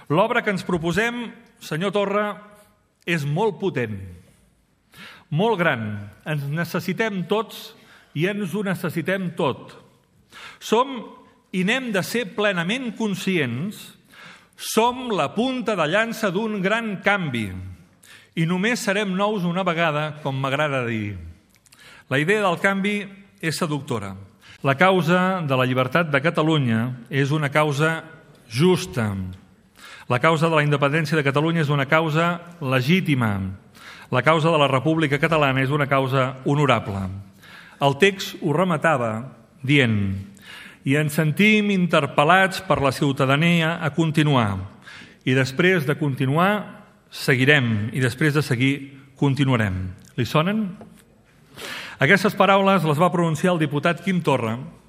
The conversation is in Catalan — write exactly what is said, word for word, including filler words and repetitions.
L'obra que ens proposem, senyor Torra, és molt potent, molt gran. Ens necessitem tots i ens ho necessitem tot. Som, i n'hem de ser plenament conscients, som la punta de llança d'un gran canvi i només serem nous una vegada, com m'agrada dir. La idea del canvi és seductora. La causa de la llibertat de Catalunya és una causa justa. La causa de la independència de Catalunya és una causa legítima. La causa de la República Catalana és una causa honorable. El text ho rematava dient: i ens sentim interpel·lats per la ciutadania a continuar. I després de continuar, seguirem. I després de seguir, continuarem. Li sonen? Aquestes paraules les va pronunciar el diputat Quim Torra